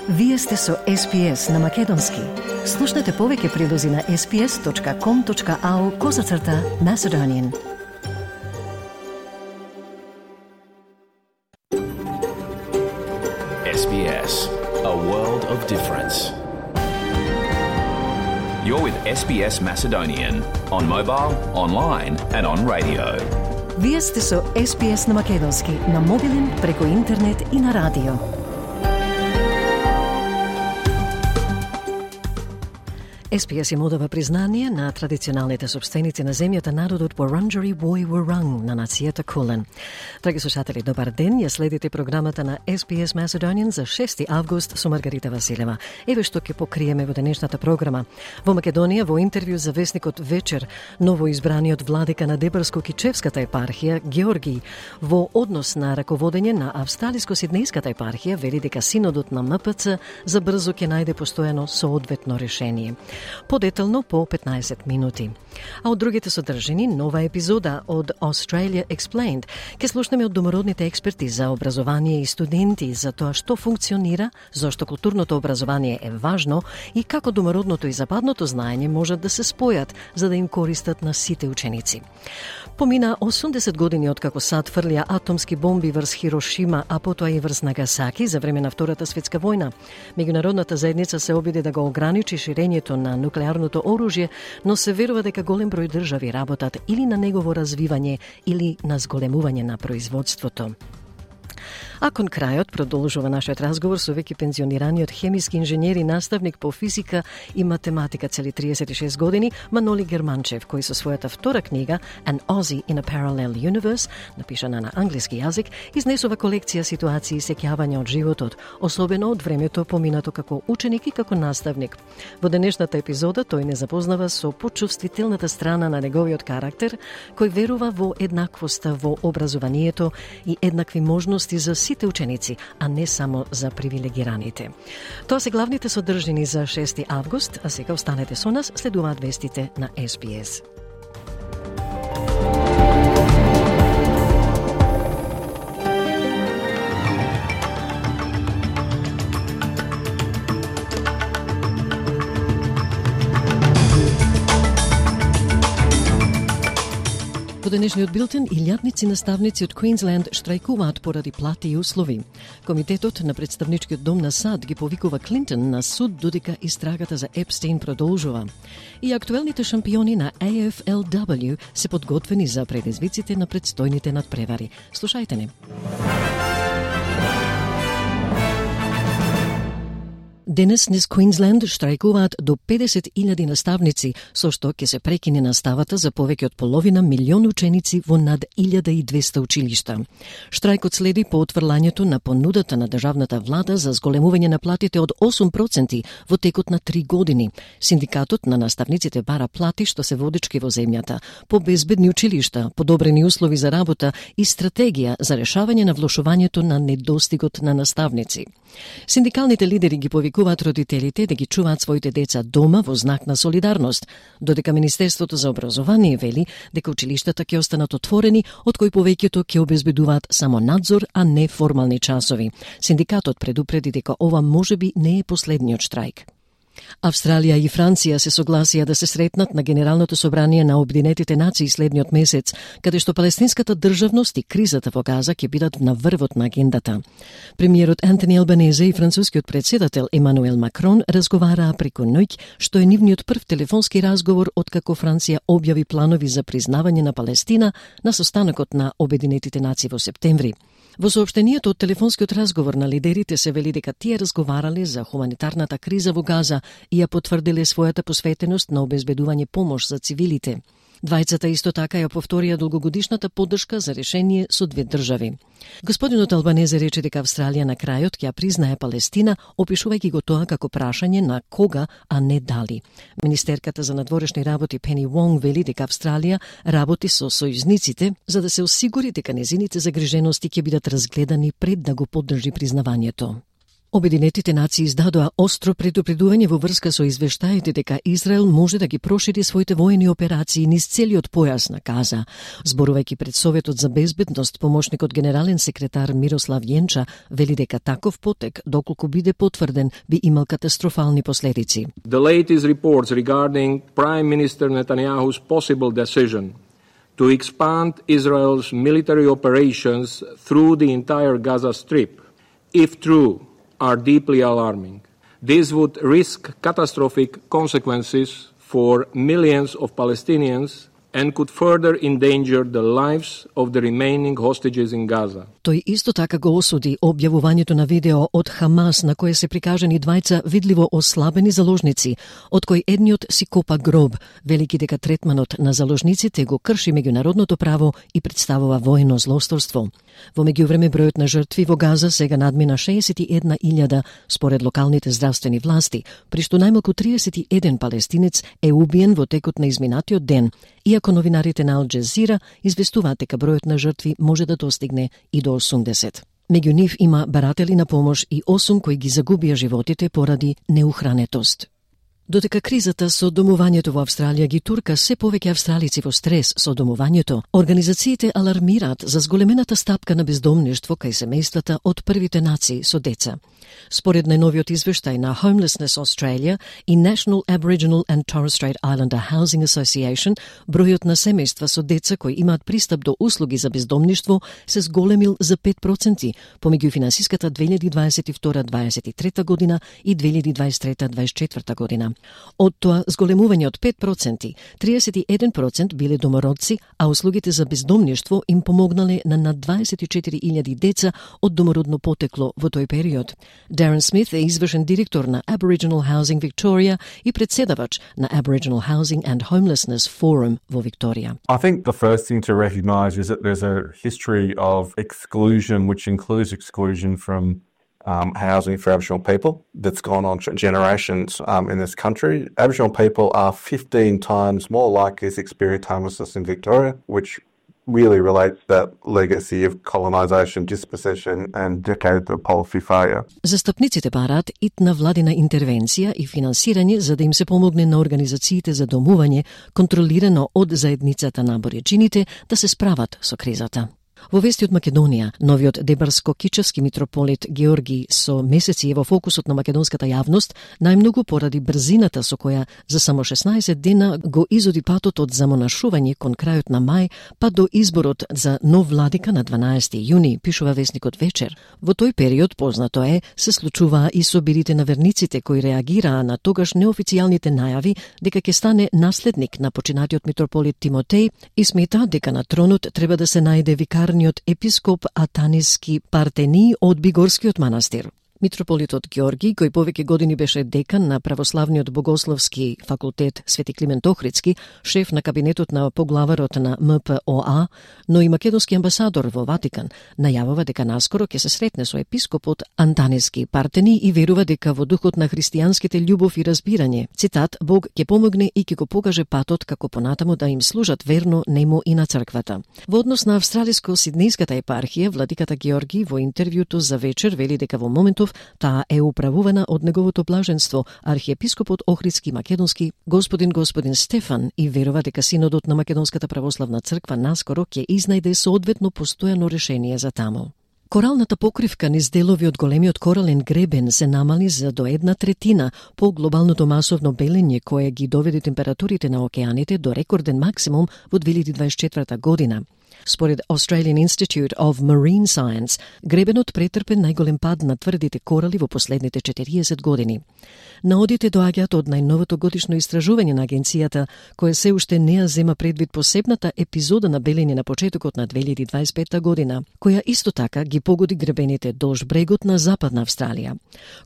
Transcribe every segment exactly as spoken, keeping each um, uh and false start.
Вие сте со Ес Би Ес на Македонски. Слушнете повеќе прилози на ес би ес точка ком точка ау козацрта Macedonian. Ес Би Ес, a world of difference. You're with Ес Би Ес Macedonian on mobile, online and on radio. Вие сте со Ес Би Ес на Македонски, на мобилен, преку интернет и на радио. Ес Би Ес им одава признание на традиционалните собственици на земјата, народот Wurundjeri Woi Wurrung на нацијата Кулен. Драги слушатели, добар ден, ја следите програмата на Ес Би Ес Macedonian за шести август со Маргарита Василева. Еве што ќе покриеме во денешната програма. Во Македонија, во интервју за весникот Вечер, новоизбраниот владика на Дебарско-Кичевската епархија, Георги, во однос на раководење на Австралиско-Сиднејската епархија, вели дека синодот на Ем Пе Це за брзо ќе најде постојано соодветно решение. Подетално по петнаесет минути. А од другите содржини, нова епизода од Australia Explained. Ке слушнеме од домородните експерти за образование и студенти за тоа што функционира, зошто културното образование е важно и како домородното и западното знаење можат да се спојат за да им користат на сите ученици. Помина осумдесет години откако САД фрлија атомски бомби врз Хирошима, а потоа и врз Нагасаки за време на Втората светска војна. Меѓународната заедница се обиде да го ограничи ширењето на нуклеарното оружје, но се верува дека голем број држави работат или на негово развивање или на зголемување на производството. А кон крајот продолжува нашиот разговор со веќе пензионираниот хемиски инженер и наставник по физика и математика цели триесет и шест години, Маноли Германчев, кој со својата втора книга An Aussie in a Parallel Universe, напишана на англиски јазик, изнесува колекција ситуации и сеќавања од животот, особено од времето поминато како ученик и како наставник. Во денешната епизода тој не запознава со почувствителната страна на неговиот карактер, кој верува во еднаквоста во образованието и еднакви можности за сите ученици, а не само за привилегираните. Тоа се главните содржини за шести август, а сега останете со нас, следуваат вестите на Ес Би Ес. Во денешниот билтен, илјадници наставници од Квинсленд штрајкуваат поради плати и услови. Комитетот на представничкиот дом на САД ги повикува Клинтон на суд додека истрагата за Епстейн продолжува. И актуелните шампиони на Ей Еф Ел Дабл Ю се подготвени за предизвиците на предстојните надпревари. Слушајте не. Денес низ Квинсленд штрајкуваат до педесет илјади наставници, со што ќе се прекине наставата за повеќе од половина милион ученици во над илјада и двесте училишта. Штрајкот следи по отфрлањето на понудата на државната влада за зголемување на платите од осум проценти во текот на три години. Синдикатот на наставниците бара плати што се водички во земјата, по безбедни училишта, подобрени услови за работа и стратегија за решавање на влошувањето на недостигот на наставници. Синдикалните лидери ги повикуваат родителите да ги чуваат своите деца дома во знак на солидарност, додека Министерството за образование вели дека училиштата ќе останат отворени, од кои повеќето ќе обезбедуваат само надзор, а не формални часови. Синдикатот предупреди дека ова можеби не е последниот штрајк. Австралија и Франција се согласија да се сретнат на Генералното собрание на Обединетите нации следниот месец, каде што палестинската државност и кризата во Газа ќе бидат на врвот на агендата. Премиерот Антони Албанезе и францускиот председател Емануел Макрон разговараа преку ноќ, што е нивниот прв телефонски разговор откако Франција објави планови за признавање на Палестина на состанокот на Обединетите нации во септември. Во соопштението од телефонскиот разговор на лидерите се вели дека тие разговарале за хуманитарната криза во Газа и ја потврдиле својата посветеност на обезбедување помош за цивилите. Двајцата исто така ја повторија долгогодишната поддршка за решение со две држави. Господинот Албанезе рече дека Австралија на крајот ќе ја признае Палестина, опишувајќи го тоа како прашање на кога, а не дали. Министерката за надворешни работи Пени Вонг вели дека Австралија работи со сојузниците за да се осигури дека незините загрижености ќе бидат разгледани пред да го поддржи признавањето. Обединетите нации издадоа остро предупредување во врска со извештаите дека Израел може да ги прошири своите воени операции низ целиот појас на Газа. Зборувајќи пред Советот за безбедност, помошникот генерален секретар Мирослав Јенча вели дека таков потек, доколку биде потврден, би имал катастрофални последици. The latest reports regarding Prime Minister Netanyahu's possible decision to expand Israel's military operations through the entire Gaza Strip, if true, are deeply alarming. This would risk catastrophic consequences for millions of Palestinians and could further endanger the lives of the remaining hostages in Gaza. Тој исто така го осуди објавувањето на видео од Хамас на кое се прикажани двајца видливо ослабени заложници, од кои едниот си копа гроб, велики дека третманот на заложниците го крши меѓународното право и представува воено злосторство. Во меѓувреме бројот на жртви во Газа сега надмина шеесет и една илјада според локалните здравствени власти, при што најмалку триесет и еден палестинец е убиен во текот на изминатиот ден, иако новинарите на Ал Џезира известуваат дека бројот на жртви може да достигне и до осумдесет. Меѓу нив има баратели на помош и осум кои ги загубија животите поради неухранетост. Додека кризата со домувањето во Австралија ги турка се повеќе австралици во стрес со домувањето, организациите алармираат за зголемената стапка на бездомништво кај семејствата од првите нации со деца. Според најновиот извештај на Homelessness Australia и National Aboriginal and Torres Strait Islander Housing Association, бројот на семејства со деца кои имаат пристап до услуги за бездомништво се зголемил за пет проценти помеѓу финансиската две илјади дваесет и втора дваесет и трета година и две илјади дваесет и трета дваесет и четврта година. Од тоа зголемување од пет проценти, триесет и еден процент биле домородци, а услугите за бездомништво им помогнале на над дваесет и четири илјади деца од домородно потекло во тој период. Darren Smith е извршен директор на Aboriginal Housing Victoria и председавач на Aboriginal Housing and Homelessness Forum во Викторија. I think the first thing to recognise is that there's a history of exclusion, which includes exclusion from um, housing for Aboriginal people that's gone on generations um, in this country. Aboriginal people are fifteen times more likely to experience homelessness in Victoria, which really relate that legacy of colonisation, dispossession and decades of policy failure. Застапниците бараат итна владина интервенција и финансирање за да им се помогне на организациите за домување, контролирано од заедницата на абориџините, да се справат со кризата. Во вести од Македонија, новиот Дебарско-Кичевски митрополит Георги со месеци е во фокусот на македонската јавност, најмногу поради брзината со која за само шеснаесет дена го изоди патот од замонашување кон крајот на мај, па до изборот за нов владика на дванаесети јуни, пишува вестникот Вечер. Во тој период, познато е, се случуваа и собирите на верниците кои реагираа на тогаш неофицијалните најави дека ќе стане наследник на починатиот митрополит Тимотеј и смета дека на тронот треба да се најде викар епископ Атаниски Партени од Бигорскиот манастир. Митрополитот Георги, кој повеќе години беше декан на Православниот богословски факултет Свети Климент Охридски, шеф на кабинетот на поглаварот на М П О А, но и македонски амбасадор во Ватикан, најавува дека наскоро ќе се сретне со епископот Антаниски Партени и верува дека во духот на христијанските љубов и разбирање, цитат, Бог ќе помогне и ќе го покаже патот како понатаму да им служат верно нему и на црквата. Во однос на австралиско-сиднејската епархија, владиката Георги во интервјуто за Вечер вели дека во моментов таа е управувана од неговото блаженство, архиепископот Охридски македонски господин господин Стефан, и верува дека синодот на Македонската православна црква наскоро ќе изнајде соодветно постојано решение за таму. Коралната покривка низ делови од големиот корален гребен се намали за до една третина по глобалното масовно белење кое ги доведе температурите на океаните до рекорден максимум во две илјади дваесет и четврта година. Според Australian Institute of Marine Science, гребенот претрпе најголем пад на тврдите корали во последните четириесет години. Наодите доаѓаат од најновото годишно истражување на агенцијата, кое се уште не ја зема предвид посебната епизода на белење на почетокот на две илјади дваесет и петта година, која исто така ги погоди гребените долж брегот на Западна Австралија.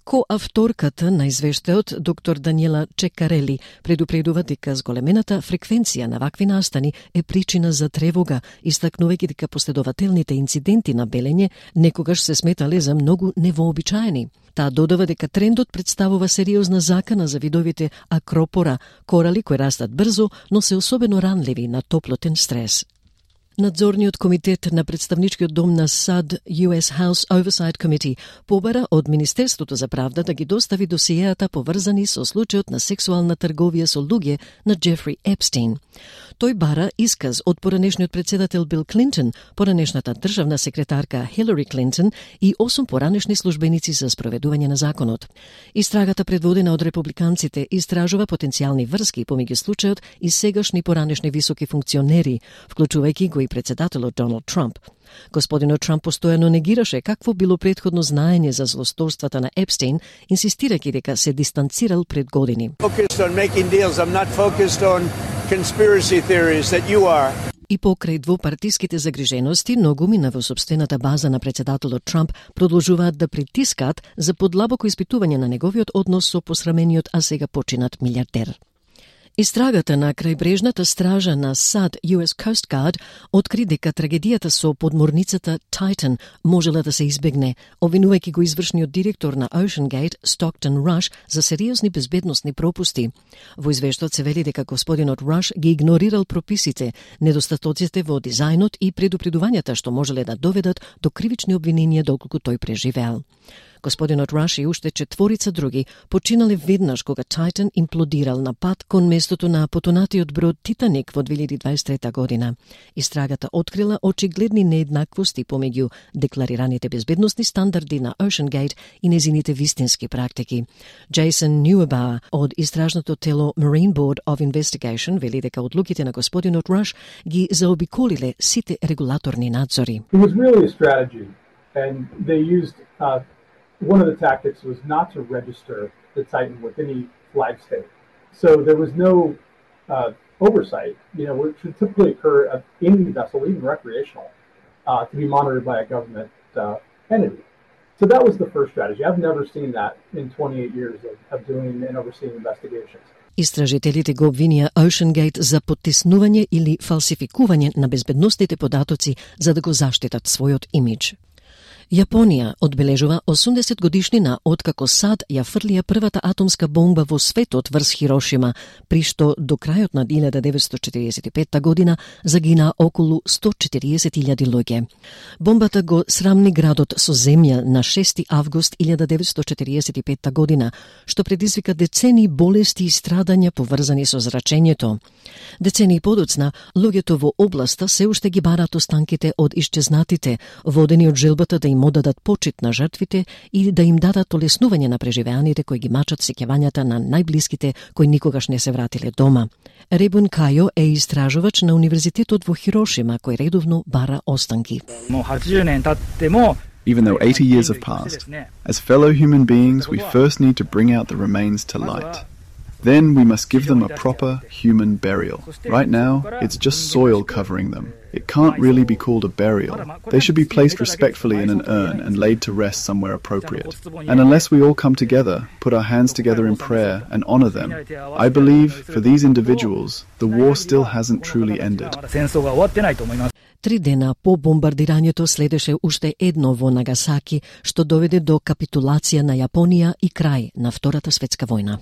Коавторката на извештајот, доктор Даниела Чекарели, предупредува дека зголемената фреквенција на вакви настани е причина за тревога, истакнувајќи дека последователните инциденти на белење некогаш се сметале за многу невообичаени. Таа додава дека трендот представува сериозна закана за видовите акропора, корали кои растат брзо, но се особено ранливи на топлотен стрес. Надзорниот комитет на представничкиот дом на САД ю ес House Oversight Committee побара од Министерството за правда да ги достави досиеата поврзани со случајот на сексуална трговија со луѓе на Джефри Епстин. Тој бара исказ од поранешниот председател Бил Клинтон, поранешната државна секретарка Хилари Клинтон и осум поранешни службеници за спроведување на законот. Истрагата предводена од републиканците истражува потенцијални врски помеѓу случајот и сегашни поранешни високи функционери, вклучувајќи го и председателот Доналд Трамп. Господинот Трамп постојано негираше какво било претходно знаење за злосторствата на Епстин, инсистирајќи дека се дистанцирал пред години. И покрај двопартиските загрижености, многумина во сопствената база на председателот Трамп продолжуваат да притискаат за подлабоко испитување на неговиот однос со посрамениот, а сега починат милиардер. Истрагата на крајбрежната стража на САД ю ес Coast Guard откри дека трагедијата со подморницата Titan можела да се избегне, обвинувајќи го извршниот директор на Ocean Gate, Stockton Rush, за сериозни безбедносни пропусти. Во извештајот се вели дека господинот Rush ги игнорирал прописите, недостатоците во дизајнот и предупредувањата што можеле да доведат до кривични обвиненија доколку тој преживеал. Господинот Раш и уште четворица други починале веднаш кога Titan имплодирал на пат кон местото на потонатиот брод Титаник во две илјади дваесет и трета година. Истрагата открила очигледни нееднаквости помеѓу декларираните безбедносни стандарди на Ocean Gate и незините вистински практики. Джейсон Ньюебауер од истражното тело Marine Board of Investigation вели дека одлуките на господинот Раш ги заобиколиле сите регулаторни надзори. It was really a strategy, and they used uh, one of the tactics was not to register the Titan with any flag state. So there was no uh, oversight, you know, which would typically occur at any vessel, even recreational, uh, to be monitored by a government uh, entity. So that was the first strategy. I've never seen that in twenty-eight years of, of doing and overseeing investigations. Истражителите го обвинија Ocean Gate за поттиснување или фалсификување на безбедносните податоци за да го заштитат својот имидж. Јапонија одбележува осумдесет годишнина откако САД ја фрлија првата атомска бомба во светот врз Хирошима, при што до крајот на илјада деветстотини четиридесет и петта година загина околу сто четириесет илјади луѓе. Бомбата го срамни градот со земја на шести август илјада деветстотини четиридесет и петта година, што предизвика децени болести и страдања поврзани со зрачењето. Децени подоцна, луѓето во областа се уште ги бараат останките од исчезнатите, водени од желбата да им одадат почит на жртвите и да им дадат олеснување на преживеаните кои ги мачат сеќавањата на најблиските кои никогаш не се вратиле дома. Ребун Кајо е истражувач на Универзитетот во Хирошима кој редовно бара останки. Even though eighty years have passed, as fellow human beings we first need to bring out the remains to light. Then we must give them a proper human burial. Right now, it's just soil covering them. It can't really be called a burial. They should be placed respectfully in an urn and laid to rest somewhere appropriate. And unless we all come together, put our hands together in prayer and honor them, I believe for these individuals, the war still hasn't truly ended. Три дена по бомбардирањето следеше уште едно во Нагасаки, што доведе до капитулација на Јапонија и крај на Втората светска војна.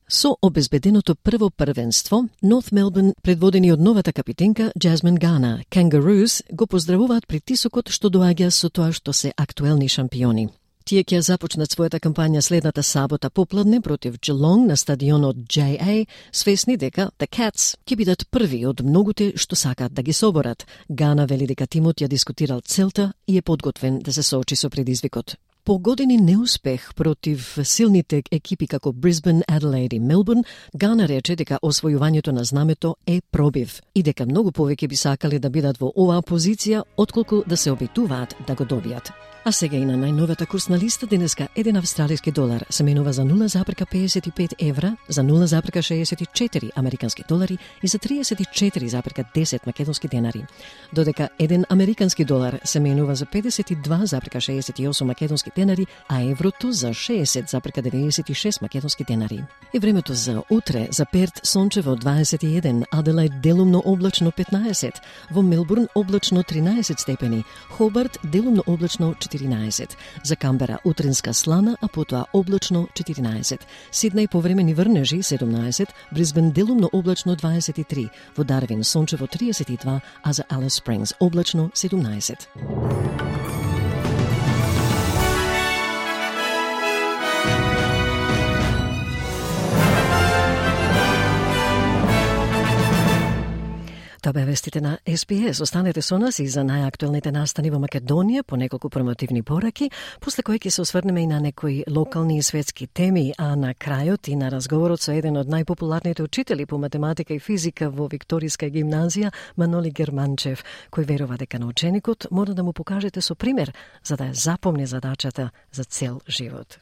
Со обезбеденото прво првенство, Норт Мелбурн, предводени од новата капитенка Джазмин Гана, Kangaroos го поздравуваат притисокот што доаѓа со тоа што се актуелни шампиони. Тие ќе започнат својата кампања следната сабота попладне против Geelong на стадионот J A, свесни дека The Cats ќе бидат први од многуте што сакаат да ги соборат. Гана вели дека тимот ја дискутирал целта и е подготвен да се соочи со предизвикот. По години неуспех против силните екипи како Брисбен, Аделаид и Мелбурн, Гана рече дека освојувањето на знамето е пробив и дека многу повеќе би сакале да бидат во оваа позиција отколку да се обидуваат да го добијат. А сега и на најновата курсна листа денеска еден австралиски долар се менува за нула запирка педесет и пет евра, за нула запирка шеесет и четири американски долари и за триесет и четири запирка десет македонски денари. Додека еден американски долар се менува за педесет и два запирка шеесет и осум македонски денари, а еврото за шеесет запирка деветдесет и шест македонски денари. И времето за утре: за Перт сончево дваесет и еден, Аделаид делумно облачно петнаесет, во Мелбурн облачно тринаесет степени, Хобарт делумно облачно четиринаесет, за Камбера утринска слана, а потоа облачно четиринаесет, Сиднеј повремени врнежи седумнаесет, Брисбен делумно облачно дваесет и три, во Дарвин сончево триесет и два, а за Алис Спрингс облачно седумнаесет. Тоа бе вестите на Ес Би Ес. Останете со нас и за најактуелните настани во Македонија по неколку промотивни пораки, после кои ќе се осврнеме и на некои локални и светски теми, а на крајот и на разговорот со еден од најпопуларните учители по математика и физика во Викторијска гимназија, Маноли Германчев, кој верува дека на ученикот мора да му покажете со пример за да ја запомни задачата за цел живот.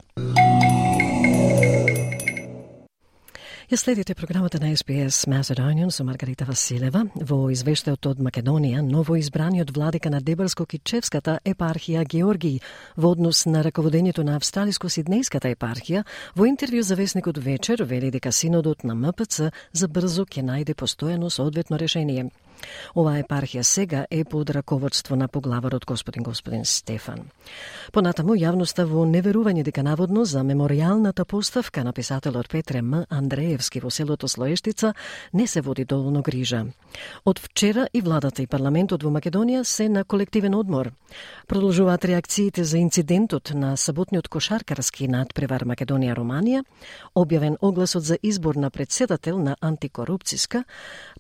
Ја следите програмата на Ес Би Ес Macedonian со Маргарита Василева. Во извештајот од Македонија, ново избраниот владика на Дебарско-Кичевската епархија Георгиј во однос на раководењето на Австралиско-Сиднејската епархија, во интервју за весникот Вечер вели дека синодот на М П Ц забрзо ќе најде постојано соодветно решение. Оваа епархија сега е под раководство на поглаварот господин господин Стефан. Понатаму, јавноста во неверување дека наводно за меморијалната поставка на писателот Петре М. Андреевски во селото Слоештица не се води доволно грижа. Од вчера и владата и парламентот во Македонија се на колективен одмор. Продолжуваат реакциите за инцидентот на саботниот кошаркарски надпревар Македонија-Романија, објавен огласот за избор на председател на антикорупцијска,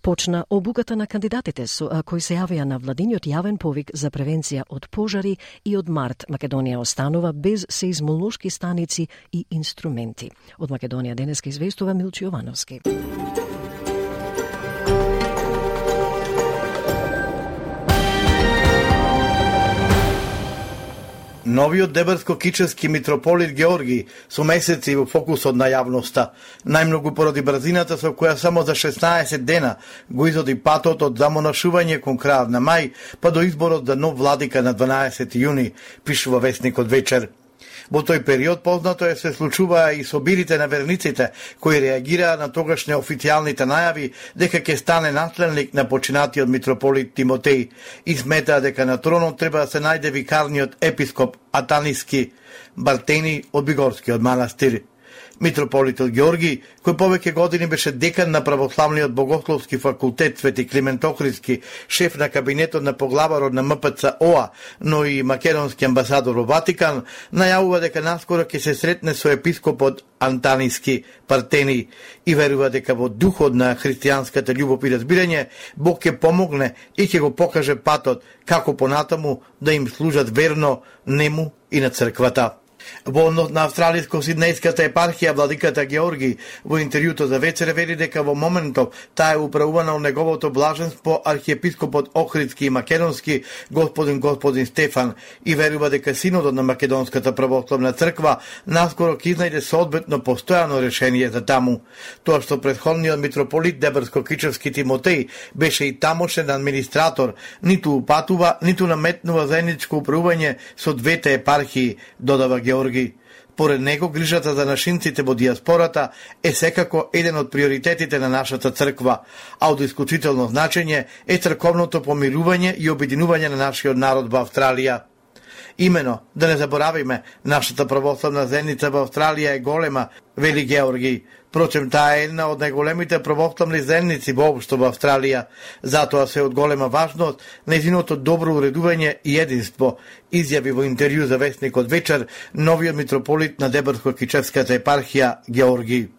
почна обуката на кандидатите со кои се јавија на владиниот јавен повик за превенција од пожари и од март Македонија останува без сеизмолошки станици и инструменти. Од Македонија денеска известува Милчо Јовановски. Новиот Дебарско-Кичевски митрополит Георги со месеци во фокусот на јавноста, најмногу поради брзината со која само за шеснаесет дена го изоди патот од замонашување кон крајот на мај, па до изборот за нов владика на дванаесети јуни, пишува весникот Вечер. Во тој период познато е се случуваа и собирите на верниците, кои реагираа на тогашни официјалните најави дека ќе стане наследник на починатиот митрополит Тимотеј и сметаа дека на тронот треба да се најде викарниот епископ Атаниски Бартени од Бигорскиот манастир. Митрополитот Георги, кој повеќе години беше декан на православниот богословски факултет Свети Климент Охридски, шеф на кабинетот на поглаварот на М П Ц О А, но и македонски амбасадор во Ватикан, најавува дека наскоро ќе се сретне со епископот Антаниски Партени и верува дека во духот на христијанската љубов и разбирање Бог ќе помогне и ќе го покаже патот како понатаму да им служат верно нему и на црквата. Во однос на Австралиско-Сиднејската епархија, владиката Георги во интервјуто за Вечер вели дека во моментов таа е управувана од неговото блаженство архиепископот Охридски и македонски господин господин Стефан и верува дека синодот на Македонската православна црква наскоро ќе изнајде соодветно постојано решение за таму. Тоа што претходниот митрополит Дебарско-Кичевски Тимотеј беше и тамошен администратор, ниту упатува, ниту наметнува заедничко управување со двете епархии, додава Георги. Поред него, грижата за нашинците во диаспората е секако еден од приоритетите на нашата црква, а од исклучително значење е црковното помирување и обединување на нашиот народ во Австралија. Имено, да не заборавиме, нашата православна заедница во Австралија е голема, вели Георги. Впрочем, таа е една од најголемите православни заедници воопшто во Австралија. Затоа се од голема важност нејзиното добро уредување и единство, изјави во интервју за весникот Вечер новиот митрополит на Дебарско-Кичевската епархија Георги.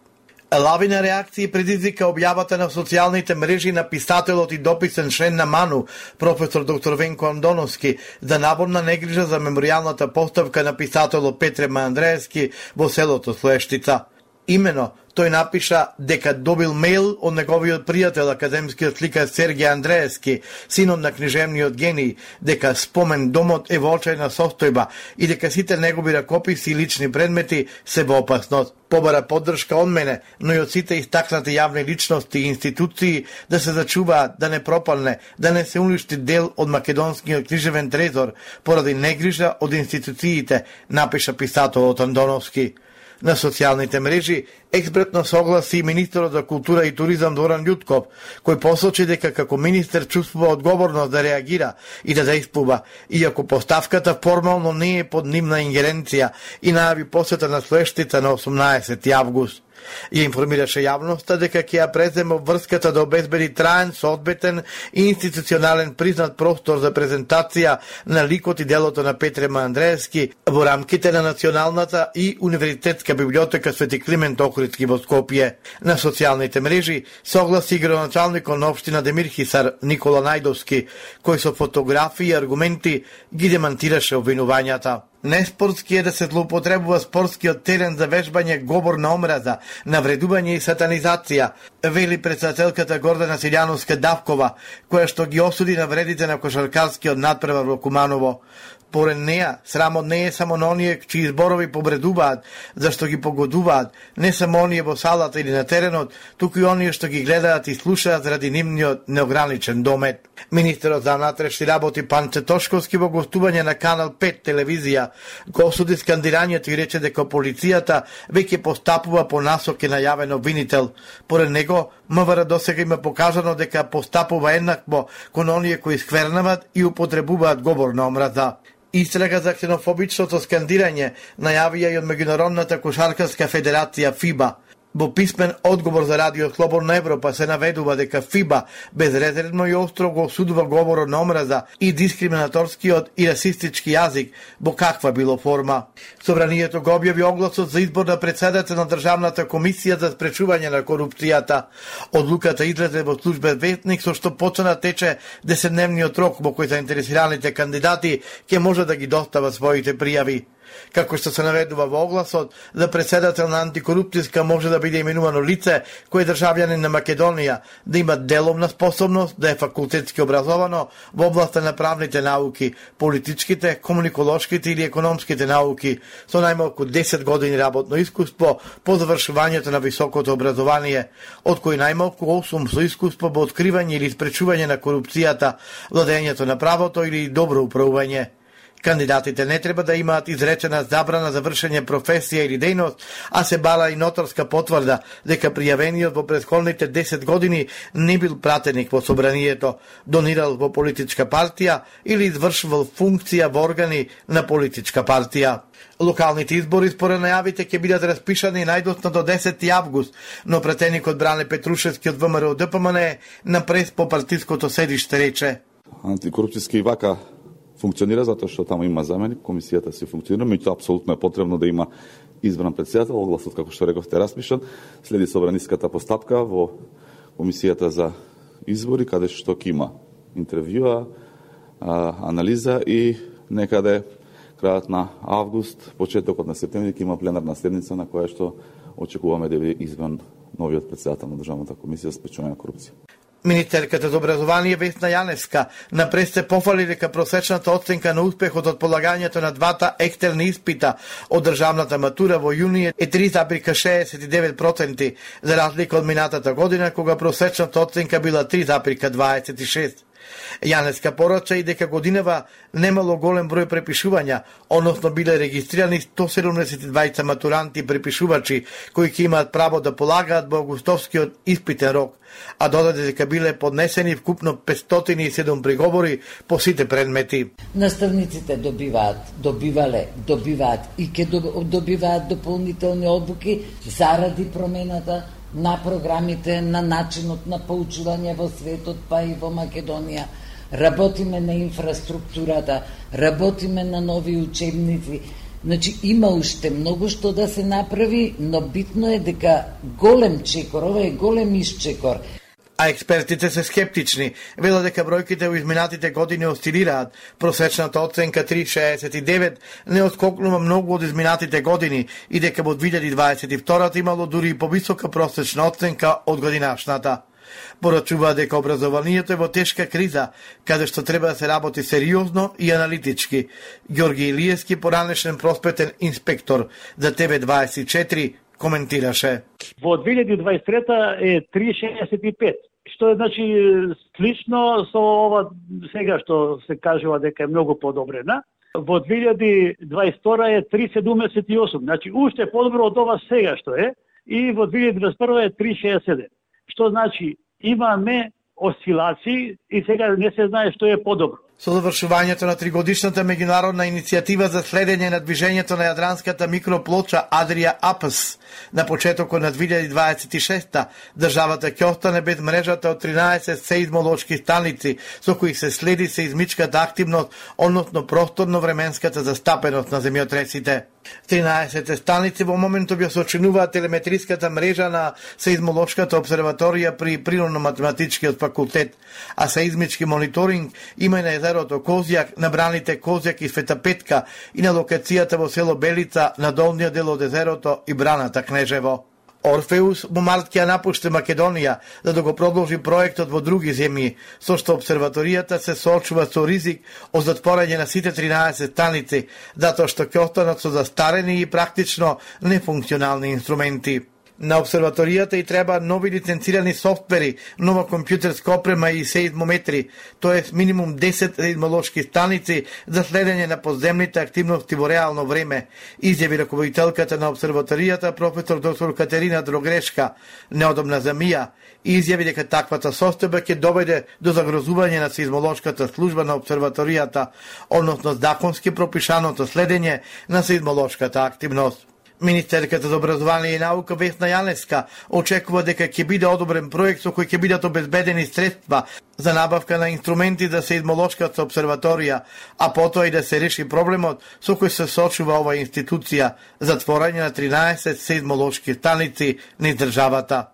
Лавина реакции предизвика објавата на социјалните мрежи на писателот и дописен член на МАНУ, професор доктор Венко Андоновски, за наводна негрижа за меморијалната поставка на писателот Петре М. Андреевски во селото Слоештица. Имено, тој напиша дека добил мейл од неговиот пријател, академскиот сликар Сергеј Андреевски, синот на книжевниот гений, дека спомен домот е во очајна состојба и дека сите негови ракописи и лични предмети се во опасност. Побара поддршка од мене, но и од сите истакнати јавни личности и институции да се зачуваат, да не пропалне, да не се уништи дел од македонскиот книжевен трезор поради негрижа од институциите, напиша писателот Андоновски. На социјалните мрежи експертно согласи министерот за култура и туризам Доран Љутков, кој посочи дека како министер чувствува одговорност да реагира и да действува, иако поставката формално не е под нивна ингеренција и најави посета на следштица на осумнаесети август. Ја информираше јавноста дека ќе ја преземе врската да обезбеди траен, соодбетен и институционален признат простор за презентација на ликот и делото на Петре Андреевски во рамките на Националната и Универзитетска библиотека Свети Климент Охридски во Скопје. На социјалните мрежи согласи градоначалникот на општина Демир Хисар Никола Најдовски, кој со фотографии и аргументи ги демантираше обвинувањата. Неспортски е да се злоупотребува спортскиот терен за вежбање говор на омраза, навредување и сатанизација, вели председателката Гордана Силјановска-Давкова, која што ги осуди навредите на кошаркарскиот надпревар во Куманово. Поред неа, срамот не е само на оние чии зборови побредуваат, зашто ги погодуваат, не само оние во салата или на теренот, туку и оние што ги гледаат и слушаат заради нивниот неограничен домет. Министерот за внатрешни работи Панче Тошковски во гостување на Канал пет телевизија го осуди скандирањето и рече дека полицијата веќе постапува по насоки на јавен обвинител. Поред него, МВР досега има покажано дека постапува еднакво кон оние кои сквернават и употребуваат говор на омраза. Истрага за ксенофобичното скандирање најавија и од Меѓународната кошаркарска федерација ФИБА. Во писмен одговор за Радио Слободна Европа се наведува дека ФИБА безрезервно и остро го осудува говорот на омраза и дискриминаторскиот и расистички јазик во каква било форма. Собранието го објави огласот за избор на председател на Државната комисија за спречување на корупцијата. Одлуката излезе во службен вестник со што почна тече десетдневниот рок во кој заинтересираните кандидати ќе може да ги достават своите пријави. Како што се наведува во огласот, за председател на антикорупцијска може да биде именувано лице кој е државјанин на Македонија, да има деловна способност, да е факултетски образовано во областа на правните науки, политичките, комуниколошките или економските науки, со најмалку десет години работно искуство по завршувањето на високото образование, од кои најмалку осум со искуство во откривање или спречување на корупцијата, владењето на правото или добро управување. Кандидатите не треба да имаат изречена забрана за вршење професија или дејност, а се бара и нотарска потврда дека пријавениот во претходните десет години не бил пратеник во собранието, донирал во политичка партија или извршувал функција во органи на политичка партија. Локалните избори според најавите ќе бидат распишани најдоцна до десети август, но пратеникот Бране Петрушевски од ВМРО Д П М Н на прес по партиското седиште рече: Антикорупцијски вака функционира затоа што таму има заменик, комисијата се функционира, меѓутоа апсолутно е потребно да има избран председател, огласот како што рековте распишан, следи собраниската постапка во комисијата за избори, каде што ќе има интервјуа, анализа и некаде крајот на август, почетокот на септември ќе има пленарна седница на која што очекуваме да биде избран новиот председател на Државната комисија за спречување на корупција. Министерката за образование Весна Јаневска на прес се пофали дека просечната оценка на успехот од полагањето на двата екстерни испита од државната матура во јуни е три запирка шеесет и девет проценти, за разлика од минатата година кога просечната оценка била три запирка дваесет и шест. Јаневска порача и дека годинава немало голем број препишувања, односно биле регистрирани сто седумдесет и дваица матуранти и препишувачи кои ќе имаат право да полагаат во августовскиот испитен рок, а додаде дека биле поднесени вкупно петстотини и седум приговори по сите предмети. Наставниците добиваат, добивале, добиваат и ќе добиваат дополнителни обуки заради промената на програмите, на начинот на поучување во светот, па и во Македонија. Работиме на инфраструктурата, работиме на нови учебници. Значи, има уште многу што да се направи, но битно е дека голем чекор, ова е голем исчекор. А експертите се скептични. Велат дека бројките во изминатите години осцилираат. Просечната оценка три целу шеесет и девет не отскокнува многу од изминатите години и дека во две илјади дваесет и втора имало дури и повисока просечна оценка од годинашната. Порачува дека образованието е во тешка криза, каде што треба да се работи сериозно и аналитички. Ѓорги Илиевски, поранешен просветен инспектор за Т В дваесет и четири, коментираше. Во две илјади дваесет и трета е три целу шеесет и пет, што е значи слично со ова сега што се кажува дека е многу подобрена. Во две илјади дваесет и втора е три целу седумдесет и осум, значи уште подобро од ова сега што е, и во две илјади дваесет и прва е три целу шеесет и седум. Што значи имаме осцилации и сега не се знае што е подобро. Со завршувањето на тригодишната меѓународна иницијатива за следење на движењето на јадранската микроплоча Адрија Апс на почетокот на две илјади дваесет и шеста, државата ќе остане без мрежата од тринаесет сеизмолошки станици со кои се следи сеизмичката активност, односно просторно-временската застапеност на земјотресите. тринаесет станици во моментов ја сочинуваат телеметриската мрежа на сеизмолошката обсерваторија при Природно-математичкиот факултет, а сеизмички мониторинг има и на езерото Козјак, на браните Козјак и Света Петка и на локацијата во село Белица на долниот дел од езерото и браната Кнежево. Орфеус во март ќе напушти Македонија за да го продолжи проектот во други земји, со што обсерваторијата се соочува со ризик од затворање на сите тринаесет станици, затоа што ќе останат со застарени и практично нефункционални инструменти. На обсерваторијата и треба нови лиценцирани софтвери, нова компјутерска опрема и сеизмометри, тоест минимум десет сеизмолошки станици за следење на подземните активности во реално време, изјави раководителката на обсерваторијата професор доктор Катерина Дрогрешка, неодобна за МИА, и изјави дека таквата состојба ќе доведе до загрозување на сеизмолошката служба на обсерваторијата, односно законски пропишаното следење на сеизмолошката активност. Министерката за образование и наука Весна Јаневска очекува дека ќе биде одобрен проект со кој ќе бидат обезбедени средства за набавка на инструменти за сеизмолошката обсерваторија, а потоа и да се реши проблемот со кој се соочува ова институција, затворање на тринаесет сеизмолошки станици низ државата.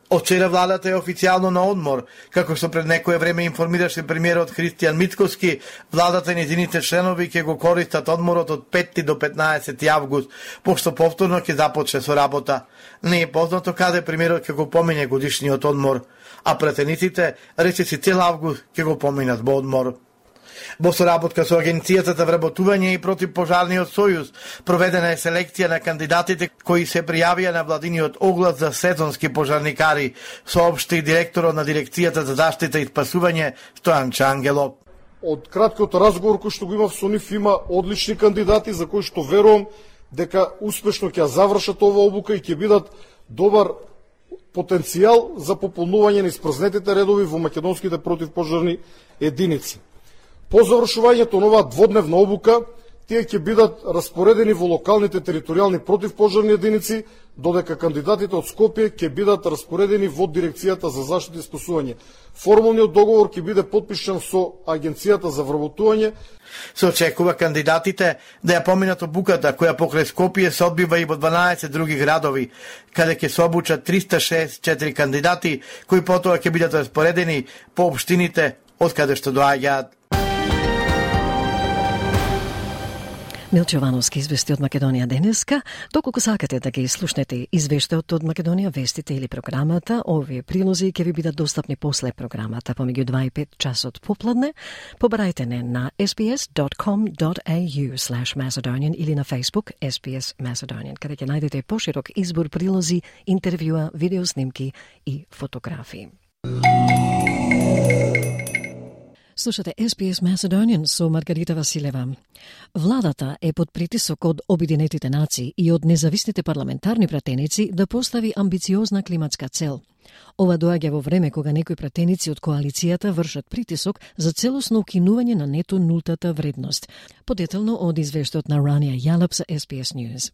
Од вчера владата е официјално на одмор. Како што пред некое време информираше премиерот Христијан Мицкоски, владата и нејзините членови ќе го користат одморот од петти до петнаесети август, пошто повторно ќе започне со работа. Не е познато каде премиерот ќе го помине годишниот одмор, а пратениците речиси цел август ќе го поминат во одмор. Во соработка со Агенцијата за вработување и противпожарниот сојуз проведена е селекција на кандидатите кои се пријавија на владиниот оглас за сезонски пожарникари, соопшти директорот на Дирекцијата за заштита и спасување Стојан Ангелов. Од краткиот разговор кој што го имав со нив има одлични кандидати за кои што верувам дека успешно ќе завршат ова обука и ќе бидат добар потенцијал за пополнување на испразнетите редови во македонските противпожарни единици. По завршувањето на оваа дводневна обука, тие ќе бидат распоредени во локалните територијални противпожарни единици, додека кандидатите од Скопје ќе бидат распоредени во Дирекцијата за заштита и спасување. Формалниот договор ќе биде потпишан со Агенцијата за вработување. Се очекува кандидатите да ја поминат обуката, која покрај Скопје се одбива и во дванаесет други градови, каде ќе се обучат триста шеесет и четири кандидати, кои потоа ќе бидат распоредени по општините од каде што доаѓаат. Милчо Вановски извести од Македонија денеска. Доколку сакате да ги слушнете извештаот од Македонија, вестите или програмата, овие прилози ќе ви бидат достапни после програмата помеѓу два и пет часот попладне. Побарајте не на ес би ес dot com dot a u slash macedonian или на Facebook ес би ес Macedonian, каде ќе најдете поширок избор прилози, интервјуа, видеоснимки и фотографии. Слушате ес би ес Macedonian со Маргарита Василева. Владата е под притисок од Обединетите нации и од независните парламентарни пратеници да постави амбициозна климатска цел. Ова доаѓа во време кога некои пратеници од коалицијата вршат притисок за целосно укинување на нето нултата вредност. Подетелно од извештаот на Рания Јалап за ес би ес News.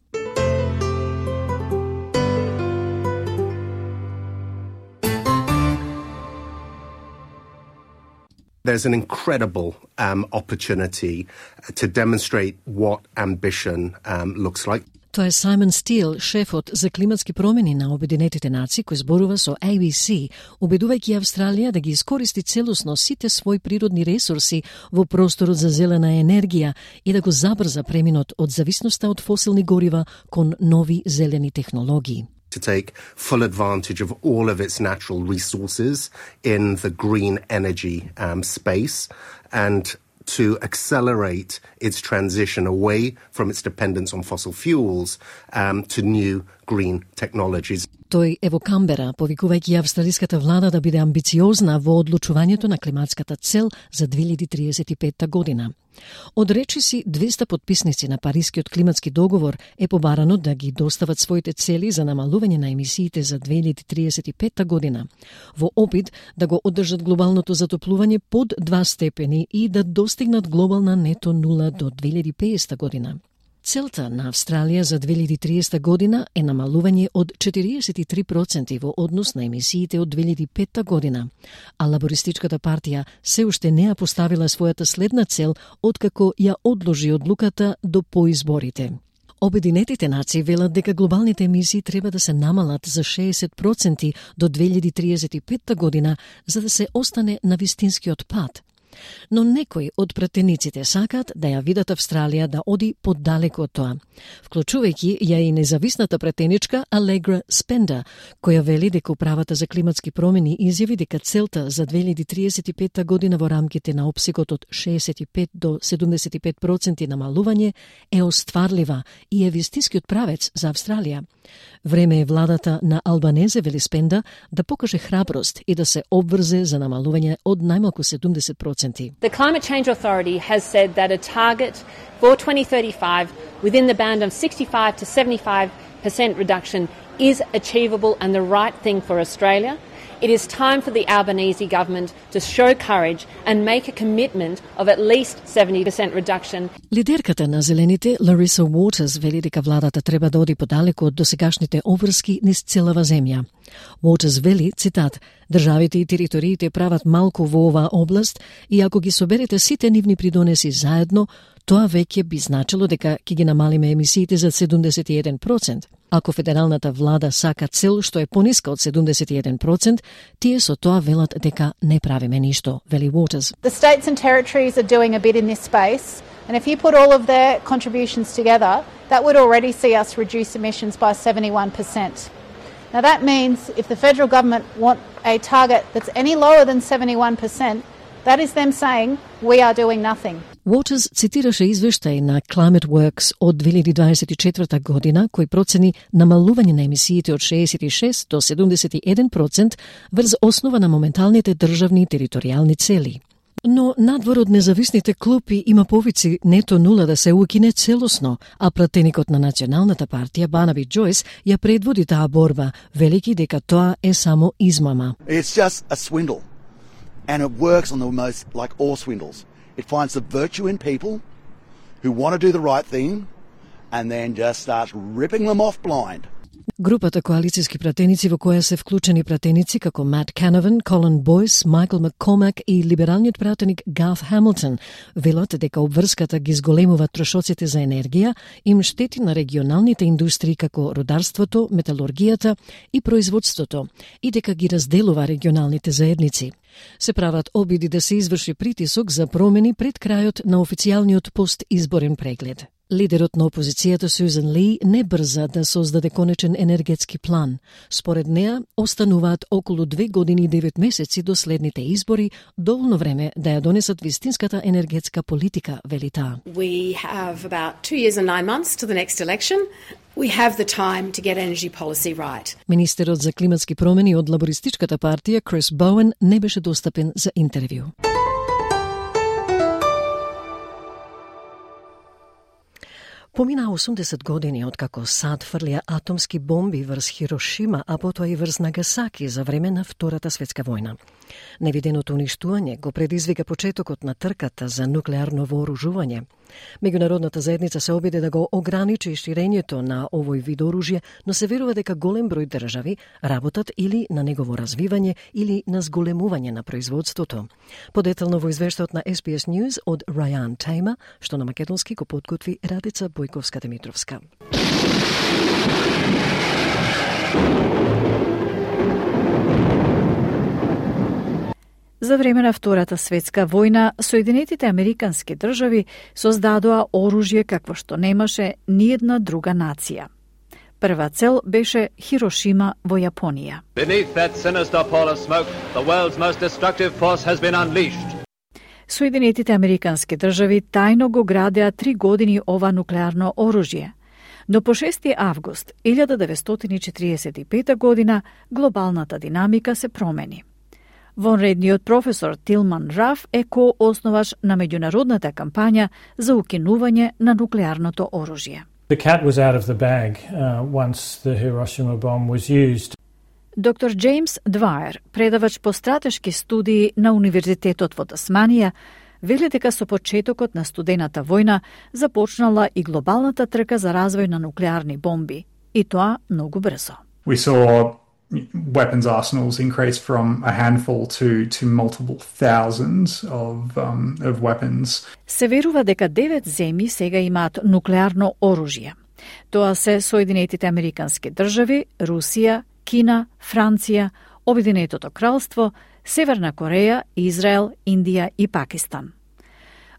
There's an incredible um, opportunity to demonstrate what ambition um, looks like. Тоа е Simon Steele, шефот за климатски промени на Обединетите нации, кој зборува со A B C, убедувајќи Австралија да ги искористи целосно сите своји природни ресурси во просторот за зелена енергија и да го забрза преминот од зависноста од фосилни горива кон нови зелени технологии. To take full advantage of all of its natural resources in the green energy um, space and to accelerate its transition away from its dependence on fossil fuels um, to new green technologies. Тој е во Камбера, повикувајќи австралиската влада да биде амбициозна во одлучувањето на климатската цел за две илјади триесет и петта година. Од речиси двеста потписници на Парискиот климатски договор е побарано да ги достават своите цели за намалување на емисиите за две илјади триесет и петта година, во опит да го одржат глобалното затоплување под два степени и да достигнат глобална нето нула до две илјади пеесета година. Целта на Австралија за две илјади триесета година е намалување од четириесет и три проценти во однос на емисиите од две илјади петта година, а Лабористичката партија се уште не ја поставила својата следна цел откако ја одложи одлуката до поизборите. Обединетите нации велат дека глобалните емисии треба да се намалат за шеесет проценти до две илјади триесет и петта година за да се остане на вистинскиот пат. Но некои од пратениците сакаат да ја видат Австралија да оди поддалеку од тоа, вклучувајќи ја и независната пратеничка Allegra Spender, која вели дека управата за климатски промени изјави дека целта за две илјади триесет и петта година во рамките на опсегот од шеесет и пет до седумдесет и пет проценти намалување е остварлива и е вистинскиот правец за Австралија. Време е владата на Албанезе, вели Спенда, да покаже храброст и да се обврзе за намалување од најмалку седумдесет проценти. The Climate Change Authority has said that a target for twenty thirty-five within the band of sixty-five to seventy-five percent reduction is achievable and the right thing for Australia. It is time for the Albanese government to show courage and make a commitment of at least seventy percent reduction. Лидерката на зелените, Larissa Waters, вели дека владата треба да оди подалеку од досегашните обврски низ целава земја. Waters вели, цитат, државите и териториите прават малку во оваа област и ако ги соберете сите нивни придонеси заедно, тоа веќе би значило дека ќе ги намалиме емисиите за седумдесет и еден проценти. Ако федералната влада сака цел што е пониска од седумдесет и еден проценти, тие со тоа велат дека не правиме ништо, вели Waters. The states and territories are doing a bit in this space, and if you put all of their contributions together, that would already see us reduce emissions by seventy-one percent. Now that means if the federal government want a target that's any lower than seventy-one percent, that is them saying we are doing nothing. Waters цитираше извештај на Climate Works од две илјади дваесет и четврта година кој процени намалување на емисиите од шеесет и шест до седумдесет и еден проценти врз основа на моменталните државни и територијални цели. Но надвор од независните клупи има повици нето нула да се укине целосно, а пратеникот на Националната партија Барнаби Джойс ја предводи таа борба, велики дека тоа е само измама. It's just a swindle. And it works on the most, like all swindles. It finds the virtue in people who want to do the right thing and then just starts ripping them off blind. Групата коалицијски пратеници во која се вклучени пратеници како Мат Канован, Колин Бойс, Майкл Маккомак и либералниот пратеник Гарth Хамилтон велат дека обврската ги зголемува трошоците за енергија, им штети на регионалните индустрии како рударството, металургијата и производството и дека ги разделува регионалните заедници. Се прават обиди да се изврши притисок за промени пред крајот на официјалниот постизборен преглед. Лидерот на опозицијата Сюзан Ли не брза да создаде конечен енергетски план. Според неа, остануваат околу две години и девет месеци до следните избори, доволно време да ја донесат вистинската енергетска политика, вели таа. We have about two years and nine months to the next election. We have the time to get energy policy right. Министерот за климатски промени од Лабористичката партија Крис Боуен не беше достапен за интервју. Помина осумдесет години откако САД фрлија атомски бомби врз Хирошима, а потоа и врз Нагасаки за време на Втората светска војна. Невиденото уништување го предизвика почетокот на трката за нуклеарно вооружување. Меѓународната заедница се обиде да го ограничи ширењето на овој вид оружје, но се верува дека голем број држави работат или на негово развивање или на зголемување на производството. Подетално во извештајот на Ес Би Ес News од Рајан Тейма, што на македонски го подготви Радица Бојковска-Димитровска. За време на Втората светска војна, Соединетите Американски држави создадоа оружје какво што немаше ниедна друга нација. Прва цел беше Хирошима во Јапонија. Beneath that sinister pall of smoke, the world's most destructive force has been unleashed. Соединетите Американски држави тајно го градеа три години ова нуклеарно оружје, но по шести август илјада деветстотини четиридесет и пета година глобалната динамика се промени. Вонредниот професор Тилман Раф е ко-основач на меѓународната кампања за укинување на нуклеарното оружје. The cat was out of the bag uh, once the Hiroshima bomb was used. Доктор Джеймс Дваер, предавач по стратешки студии на Универзитетот во Тасманија, вели дека со почетокот на студената војна започнала и глобалната трка за развој на нуклеарни бомби, и тоа многу брзо. We saw weapons arsenals increase from a handful to to multiple thousands of um, of weapons. Се верува дека девет земји сега имаат нуклеарно оружје. Тоа се Соединетите Американски држави, Русија, Кина, Франција, Обединетото кралство, Северна Кореја, Израел, Индија и Пакистан.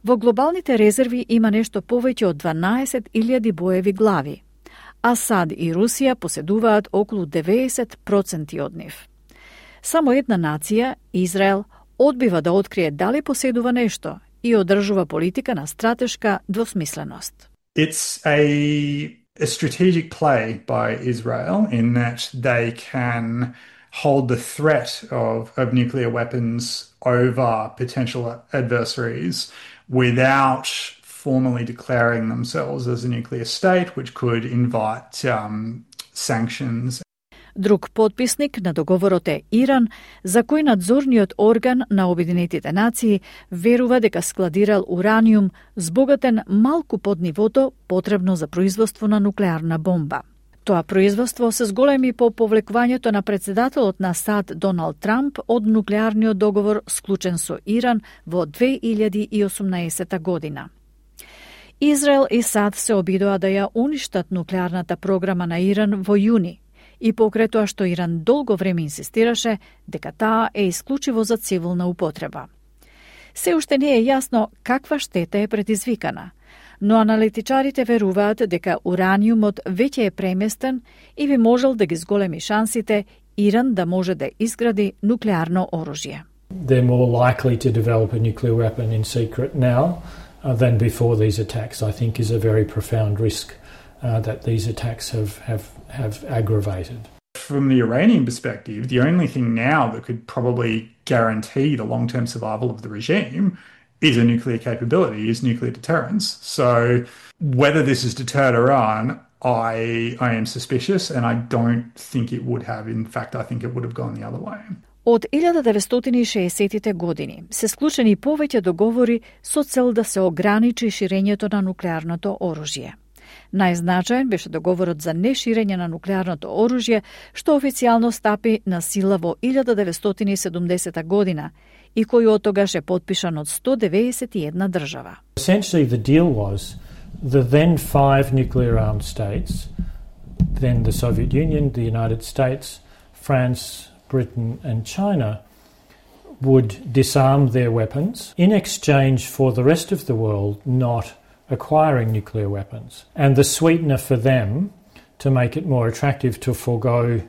Во глобалните резерви има нешто повеќе од дванаесет илјади боеви глави, а САД и Русија поседуваат околу деветдесет проценти од нив. Само една нација, Израел, одбива да открие дали поседува нешто и одржува политика на стратешка двосмисленост. It's a a strategic play by Israel in that they can hold the threat of, of nuclear weapons over potential adversaries without formally declaring themselves as a nuclear state, which could invite um, sanctions. Друг потписник на договорот е Иран, за кој надзорниот орган на Обединетите нации верува дека складирал ураниум збогатен малку под нивото потребно за производство на нуклеарна бомба. Тоа производство се зголеми по повлекувањето на председателот на САД Доналд Трамп од нуклеарниот договор склучен со Иран во две илјади и осумнаесета година. Израел и САД се обидоа да ја уништат нуклеарната програма на Иран во јуни, и покрај тоа што Иран долго време инсистираше дека таа е исклучиво за цивилна употреба. Се уште не е јасно каква штета е предизвикана, но аналитичарите веруваат дека ураниумот веќе е преместен и би можел да ги зголеми шансите Иран да може да изгради нуклеарно оружје. They're more likely to develop a nuclear weapon in secret now uh, than before these attacks, I think is a very profound risk uh, that these attacks have, have, have aggravated. From the Iranian perspective, the only thing now that could probably guarantee the long-term survival of the regime is a nuclear capability, is nuclear deterrence. So whether this has deterred Iran, I, I am suspicious, and I don't think it would have. In fact, I think it would have gone the other way. Од илјада деветстотини и шеесеттите години се склучени повеќе договори со цел да се ограничи ширењето на нуклеарното оружје. Најзначаен беше договорот за неширење на нуклеарното оружје, што официјално стапи на сила во илјада деветстотини и седумдесета година и кој од тогаш е потпишан од сто деветдесет и една држава. Essentially the deal was the then five nuclear armed states, then the Soviet Union, the United States, France, Britain and China would disarm their weapons in exchange for the rest of the world not acquiring nuclear weapons. And the sweetener for them, to make it more attractive to forego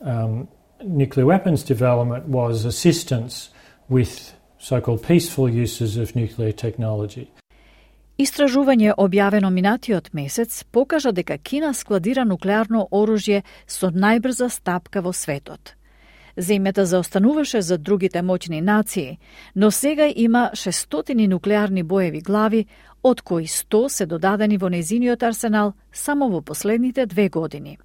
um, nuclear weapons development, was assistance with so-called peaceful uses of nuclear technology. Истражување објавено минатиот месец покажа дека Кина складира нуклеарно оружје со најбрза стапка во светот. Земјата заостануваше за другите моćни нации, но сега има шестстотини нуклеарни боеви глави, од кои сто се додадени во незиниот арсенал само во последните две години.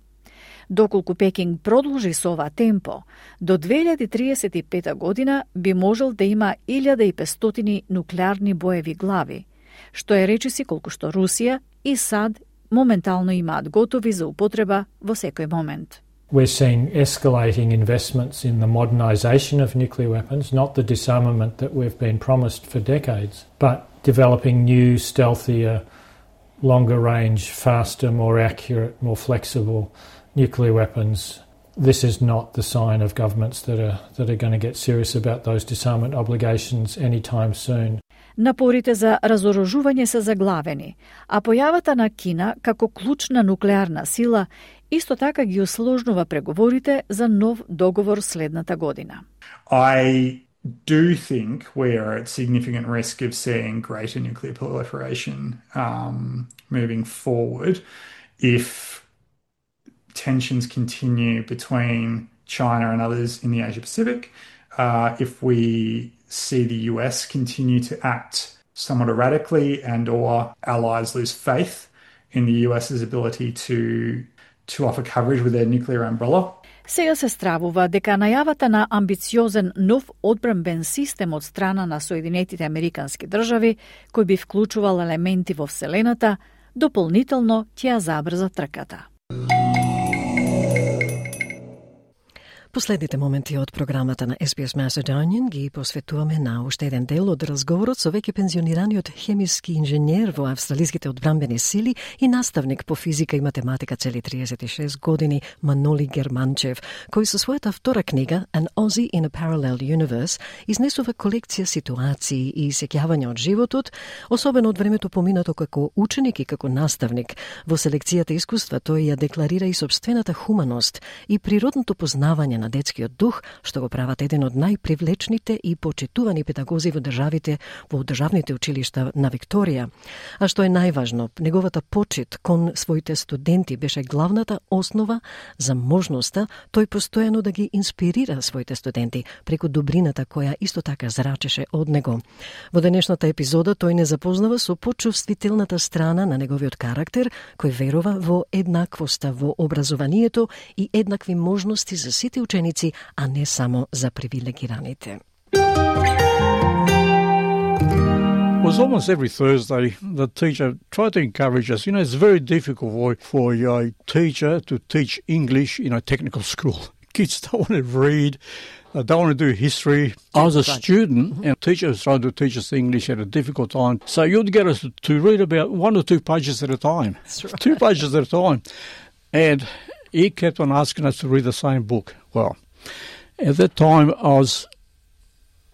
Доколку Пекинг продолжи со ова темпо, до две илјади триесет и пета година би можел да има илјада и петстотини нуклеарни боеви глави, што е речиси колку што Русија и САД моментално имаат готови за употреба во секој момент. We're seeing escalating investments in the modernisation of nuclear weapons, not the disarmament that we've been promised for decades, but developing new, stealthier, longer range, faster, more accurate, more flexible nuclear weapons. This is not the sign of governments that are that are going to get serious about those disarmament obligations anytime soon. Напорите за разоружување се заглавени, а појавата на Кина како клучна нуклеарна сила исто така ги усложнува преговорите за нов договор следната година. I do think we are at significant risk of seeing greater nuclear proliferation um, moving forward if tensions continue between China and others in the Asia-Pacific, uh, if we see the U S continue to act somewhat erratically and or allies lose faith in the US's ability to to offer coverage with their nuclear umbrella. Сега се стравува дека најавата на амбициозен нов одбранбен систем од страна на Соединетите Американски држави, кој би вклучувал елементи во Вселената, дополнително ќе ја забрза трката. Последните моменти од програмата на Ес Би Ес Macedonian ги посветуваме на уште еден дел од разговорот со веќе пензионираниот хемиски инженер во австралиските одбранбени сили и наставник по физика и математика цели триесет и шест години Маноли Германчев, кој со својата втора книга An Aussie in a Parallel Universe изнесува колекција ситуации и сеќавања од животот, особено од времето поминато како ученик и како наставник. Во селекцијата искуства тој ја декларира и собствената хуманост и природното познавање на детскиот дух, што го прават еден од најпривлечните и почитувани педагози во државите, во државните училишта на Викторија. А што е најважно, неговата почит кон своите студенти беше главната основа за можноста тој постојано да ги инспирира своите студенти преку добрината која исто така зрачеше од него. Во денешната епизода тој не запознава со почувствителната страна на неговиот карактер, кој верува во еднаквоста во образованието и еднакви можности за сите ученици, а не само за привилегираните. It was almost every Thursday the teacher tried to encourage us. You know, it's very difficult for, for a teacher to teach English in a technical school. Kids don't want to read, they don't want to do history. I was a student mm-hmm. and teachers tried to teach us English at a difficult time. So you'd get us to read about one or two pages at a time. That's right. Two pages at a time. And he kept on asking us to read the same book. Well, at that time I was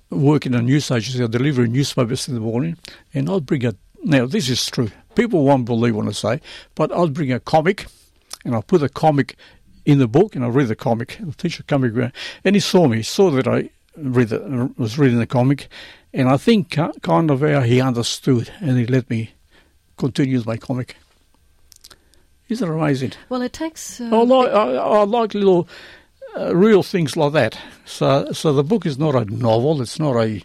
working in news agency, delivering newspapers in the morning, and I'd bring a, now this is true, people won't believe what I say, but I'd bring a comic, and I'd put the comic in the book, and I'd read the comic. The teacher coming around, and he saw me, he saw that I read the, was reading the comic, and I think kind of how he understood, and he let me continue with my comic. Isn't it amazing? Well, it takes... Uh, I, like, I, I like little... Uh, real things like that. So, so the book is not a novel. It's not a.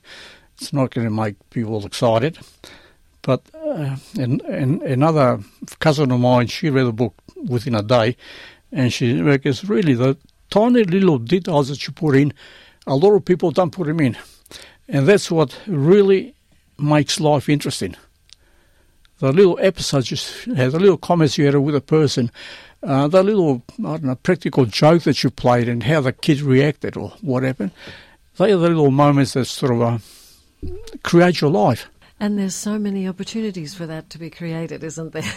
It's not going to make people excited. But uh, and, and another cousin of mine, she read the book within a day, and she reckons really the tiny little details that you put in, a lot of people don't put them in, and that's what really makes life interesting. The little episodes you have, the little comments you had with a person. Uh, the little, I don't know, practical joke that you played and how the kid reacted or what happened, they are the little moments that sort of uh, create your life. And there's so many opportunities for that to be created, isn't there?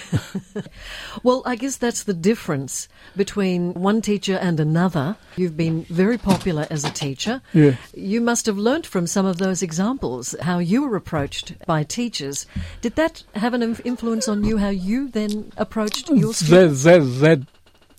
Well, I guess that's the difference between one teacher and another. You've been very popular as a teacher. Yeah. You must have learnt from some of those examples, how you were approached by teachers. Did that have an influence on you, how you then approached your students? That, that, that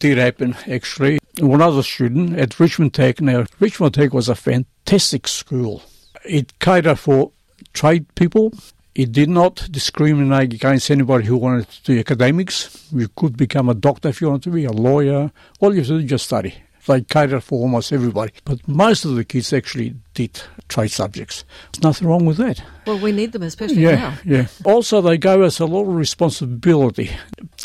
did happen, actually. When I was a student at Richmond Tech, now, Richmond Tech was a fantastic school. It catered for trade people. It did not discriminate against anybody who wanted to do academics. You could become a doctor if you wanted to be, a lawyer. All you have to do is just study. They catered for almost everybody. But most of the kids actually did trade subjects. There's nothing wrong with that. Well, we need them, especially yeah, now. Yeah. Also, they gave us a lot of responsibility.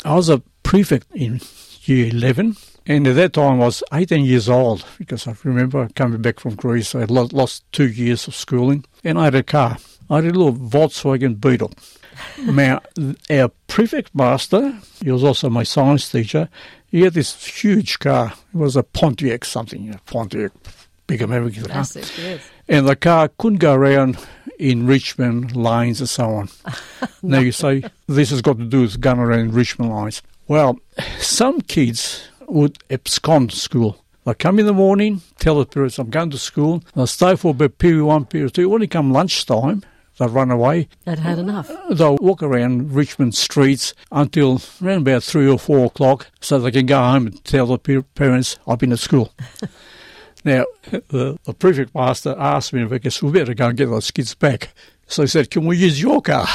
I was a prefect in year eleven. And at that time I was eighteen years old, because I remember coming back from Greece. I had lost two years of schooling, and I had a car. I had a little Volkswagen Beetle. Now, our prefect master, he was also my science teacher, he had this huge car. It was a Pontiac something, a Pontiac, big American car. Classic, yes. And the car couldn't go around enrichment lines and so on. Now you say, this has got to do with gun around enrichment lines. Well, some kids would abscond school. They come in the morning, tell the parents, I'm going to school. They'll stay for about period one, period two. When it come lunchtime, they'll run away. They'd had enough. They'll walk around Richmond streets until around about three or four o'clock so they can go home and tell the parents, I've been at school. Now, the, the prefect master asked me if I guess we better go and get those kids back. So he said, can we use your car?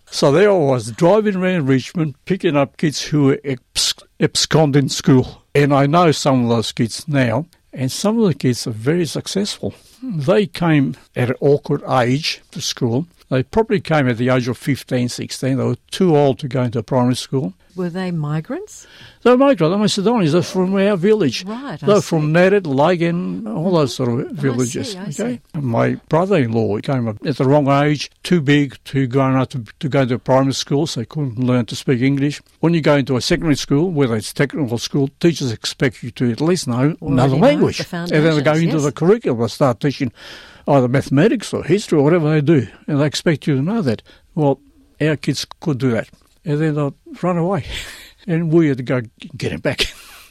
So there I was, driving around Richmond, picking up kids who were abs- absconding school. And I know some of those kids now, and some of the kids are very successful. They came at an awkward age to school. They probably came at the age of fifteen, sixteen. They were too old to go into primary school. Were they migrants? They were migrants. They're Macedonians. They're from our village. Right, I They're see. from Nered, Lagan, all those sort of villages. I see, I okay. See. My brother-in-law came up at the wrong age, too big, too grown up to, to go to primary school, so he couldn't learn to speak English. When you go into a secondary school, whether it's technical school, teachers expect you to at least know Already another know language. the And then they go into foundations, the yes. curriculum and start teaching either mathematics or history or whatever they do, and they expect you to know that. Well, our kids could do that, and then they'll run away, and we had to go get them back.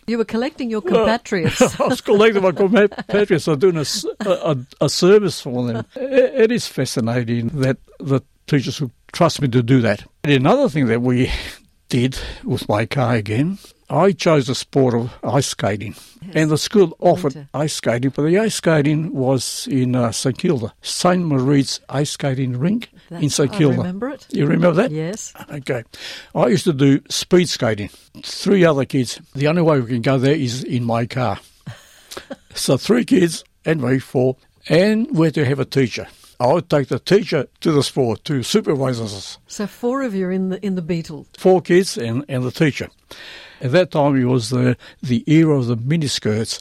You were collecting your compatriots. I was collecting my compatriots. I'm doing a, a, a service for them. It, it is fascinating that the teachers would trust me to do that. And another thing that we did with my car again, I chose the sport of ice skating. Yes. And the school offered Winter. ice skating, but the ice skating was in uh, St Kilda, Saint Marie's ice skating rink That's, in St Kilda. I remember it. You remember that? Yes. Okay. I used to do speed skating. Three other kids. The only way we can go there is in my car. So three kids and me, four, and we had to have a teacher. I would take the teacher to the sport to supervise us. So four of you in the in the Beetle. Four kids and, and the teacher. At that time, it was the, the era of the miniskirts.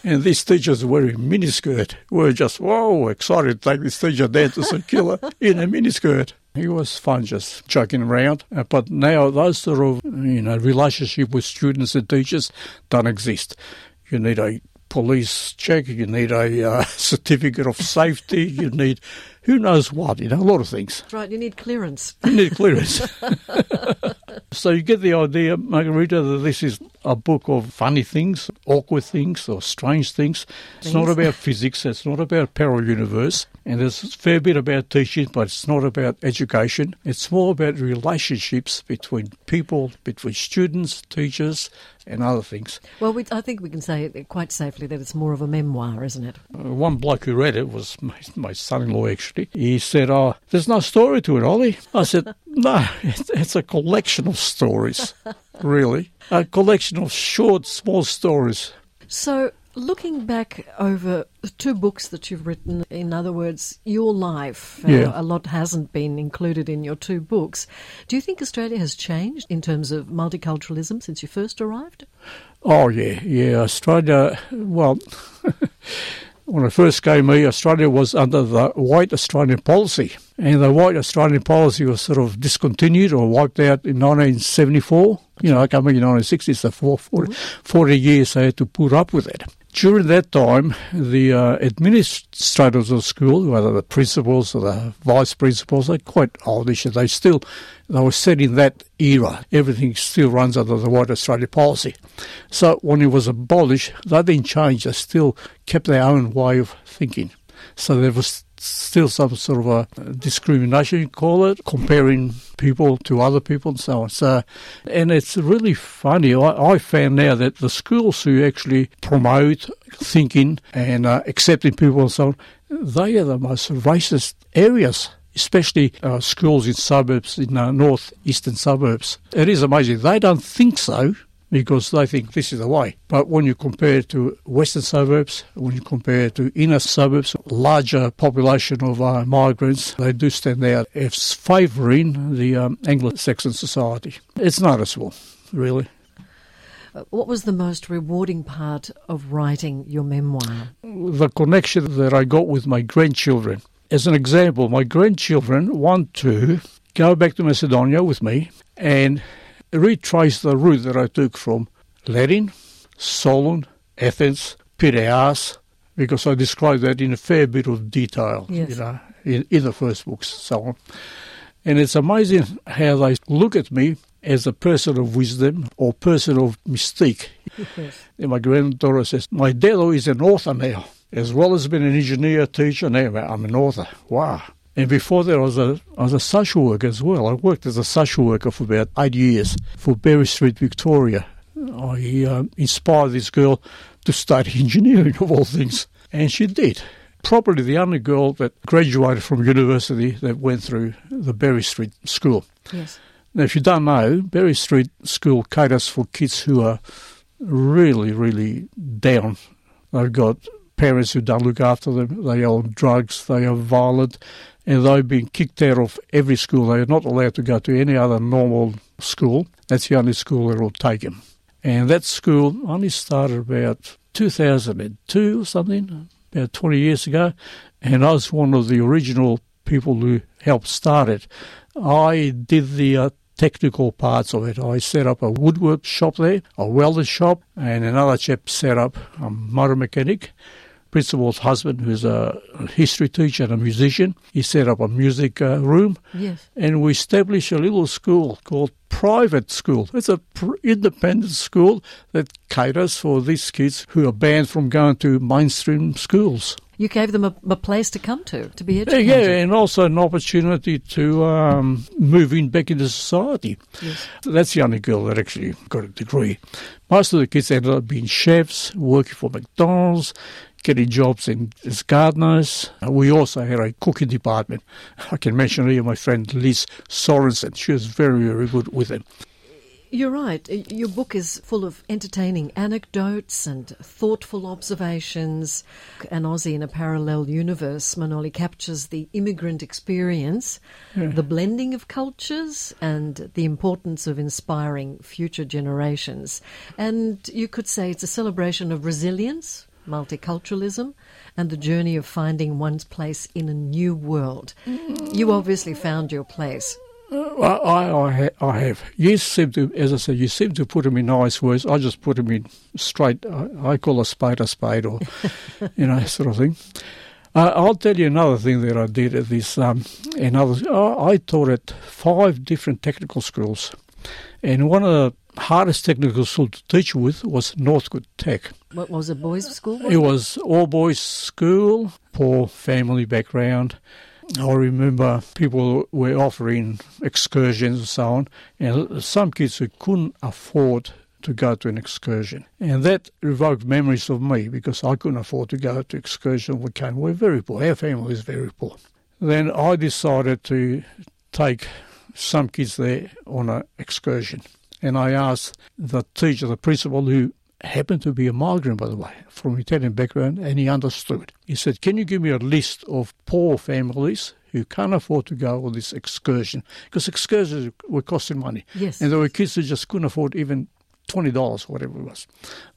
And these teachers wearing miniskirt were just, whoa, excited to take this teacher down to St Kilda in a miniskirt. It was fun just joking around. Uh, but now those sort of, you know, relationship with students and teachers don't exist. You need a police check, you need a uh, certificate of safety, you need who knows what, you know, a lot of things. That's right, you need clearance. You need clearance. So you get the idea, Margarita, that this is a book of funny things, awkward things, or strange things. It's not about physics, it's not about parallel universe, and there's a fair bit about teaching, but it's not about education. It's more about relationships between people, between students, teachers, and other things. Well, we, I think we can say it quite safely that it's more of a memoir, isn't it? Uh, one bloke who read it was my, my son-in-law, actually. He said, oh, there's no story to it, Ollie. I said, no, it's, it's a collection of stories, really. A collection of short, small stories. So, looking back over the two books that you've written, in other words, your life, uh, yeah. a lot hasn't been included in your two books. Do you think Australia has changed in terms of multiculturalism since you first arrived? Oh, yeah, yeah. Australia, well, when I first came here, Australia was under the white Australian policy. And the white Australian policy was sort of discontinued or wiped out in nineteen seventy-four. You know, I came here in nineteen sixty, so for forty, forty years they had to put up with it. During that time, the uh, administrators of school, whether the principals or the vice principals, they're quite oldish. They still, they were set in that era. Everything still runs under the white Australia policy. So when it was abolished, they didn't change. They still kept their own way of thinking. So there was still some sort of a discrimination, you call it, comparing people to other people and so on. So, and it's really funny. I, I found now that the schools who actually promote thinking and uh, accepting people and so on, they are the most racist areas, especially uh, schools in suburbs, in uh, north-eastern suburbs. It is amazing. They don't think so, because they think this is the way. But when you compare it to western suburbs, when you compare it to inner suburbs, larger population of uh, migrants, they do stand out as favouring the um, Anglo-Saxon society. It's noticeable, really. What was the most rewarding part of writing your memoir? The connection that I got with my grandchildren. As an example, my grandchildren want to go back to Macedonia with me and retrace the route that I took from Ledin, Solun, Athens, Piraeus, because I describe that in a fair bit of detail, Yes. you know, in, in the first books, so on. And it's amazing how they look at me as a person of wisdom or person of mystique. Yes. And my granddaughter says, my daddo is an author now. As well as being an engineer, teacher, now I'm an author. Wow. And before that, I was a, I was a social worker as well. I worked as a social worker for about eight years for Berry Street, Victoria. I uh, inspired this girl to study engineering, of all things. And she did. Probably the only girl that graduated from university that went through the Berry Street School. Yes. Now, if you don't know, Berry Street School caters for kids who are really, really down. They've got parents who don't look after them. They are on drugs. They are violent. And they've been kicked out of every school. They are not allowed to go to any other normal school. That's the only school that will take them. And that school only started about two thousand two or something, about twenty years ago. And I was one of the original people who helped start it. I did the uh, technical parts of it. I set up a woodwork shop there, a welder shop, and another chap set up a motor mechanic. Principal's husband, who's a history teacher and a musician, he set up a music uh, room. Yes. And we established a little school called Private School. It's a pr- independent school that caters for these kids who are banned from going to mainstream schools. You gave them a, a place to come to, to be Yeah, educated. yeah, and also an opportunity to um, move in back into society. Yes. That's the only girl that actually got a degree. Most of the kids ended up being chefs, working for McDonald's, getting jobs in, as gardeners. Uh, we also had a cooking department. I can mention here my friend Liz Sorensen. She was very, very good with them. You're right. Your book is full of entertaining anecdotes and thoughtful observations. An Aussie in a Parallel Universe, Manoli captures the immigrant experience, Yeah. the blending of cultures, and the importance of inspiring future generations. And you could say it's a celebration of resilience, multiculturalism, and the journey of finding one's place in a new world. You obviously found your place. Uh, I, I, ha- I have. You seem to, as I said, you seem to put them in nice words. I just put them in straight, I, I call a spade a spade, or, you know, sort of thing. Uh, I'll tell you another thing that I did at this, um, another, I, I taught at five different technical schools. And one of the hardest technical schools to teach with was Northcote Tech. What was it, boys' school? It was all boys school, poor family background. I remember people were offering excursions and so on, and some kids who couldn't afford to go to an excursion. And that evoked memories of me because I couldn't afford to go to excursion. We came, we were very poor. Our family was very poor. Then I decided to take some kids there on an excursion. And I asked the teacher, the principal, who happened to be a migrant, by the way, from Italian background, and he understood. He said, can you give me a list of poor families who can't afford to go on this excursion? Because excursions were costing money. Yes. And there were kids who just couldn't afford even twenty dollars, whatever it was.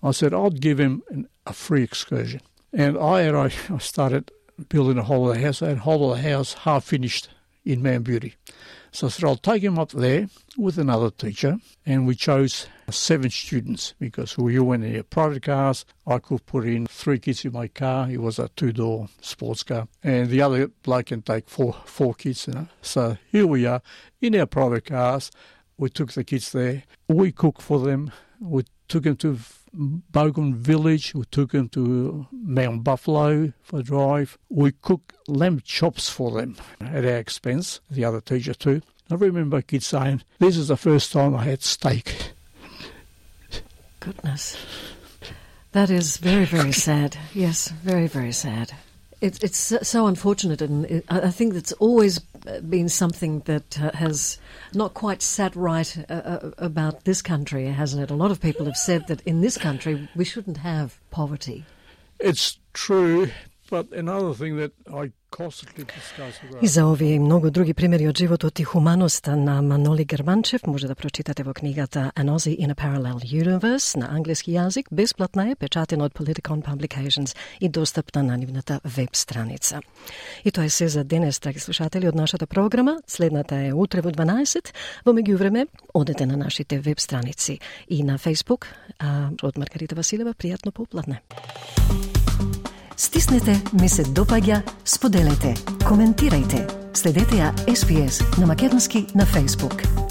I said, I'd give him an, a free excursion. And I, I I started building a holiday house. I had a holiday house half finished in Mount Beauty. So I said, I'll take him up there with another teacher, and we chose seven students because we went in private cars. I could put in three kids in my car. It was a two-door sports car. And the other bloke can take four four kids. You know. So here we are in our private cars. We took the kids there. We cooked for them. We took them to Bogan Village. We took them to Mount Buffalo for a drive. We cooked lamb chops for them at our expense, the other teacher too. I remember kids saying, this is the first time I had steak. Goodness. That is very, very sad. Yes, very, very sad. It, it's so, so unfortunate, and it, I think that's always been something that uh, has not quite sat right uh, about this country, hasn't it? A lot of people have said that in this country we shouldn't have poverty. It's true, but another thing that I constantly discuss about... И за овие и многу други примери од животот и хуманоста на Маноли Германчев може да прочитате во книгата An Aussie in a Parallel Universe на англиски јазик. Бесплатна е, печатена од Politicon Publications и достапна на нивната веб страница. И тоа е се за денес, драги слушатели, од нашата програма. Следната е утре во дванаесет. Во меѓувреме, одете на нашите веб страници и на Facebook. А од Маргарита Василева, пријатно попладне. Стиснете ми се допаѓа, споделете, коментирајте. Следете ја Ес Би Ес на македонски на Facebook.